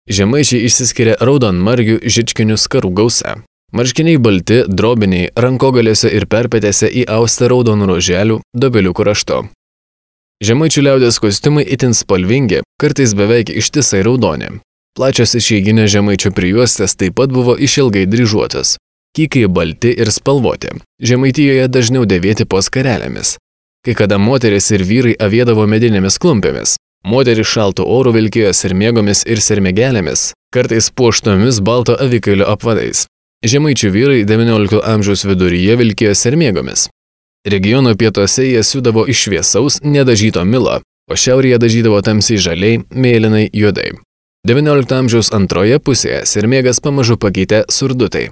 Žemaičiai išsiskiria raudonmargių žičkinių skarų gausa. Marškiniai balti, drobiniai, rankogalėse ir perpetėse įausta raudonų roželių, dobeliukų raštu. Žemaičių liaudės kostiumai itin spalvingi, kartais beveik ištisai raudoni. Plačios išeiginės žemaičių prijuostės taip pat buvo išilgai dryžuotos. Kykai balti ir spalvoti. Žemaitijoje dažniau dėvėti po skarelėmis. Kai kada moteris ir vyrai avėdavo medinėmis klumpėmis. Moteris šaltų orų vilkėjo sermėgomis ir sermėgelėmis, kartais puoštomis balto avikailio apvadais. Žemaičių vyrai XIX amžiaus viduryje vilkėjo sermėgomis. Regiono pietuose jie siūdavo iš šviesaus, nedažyto milo, o šiaurėje dažydavo tamsiai žaliai, mėlynai, juodai. XIX amžiaus antroje pusėje sermėgas pamažu pakeitė surdutai.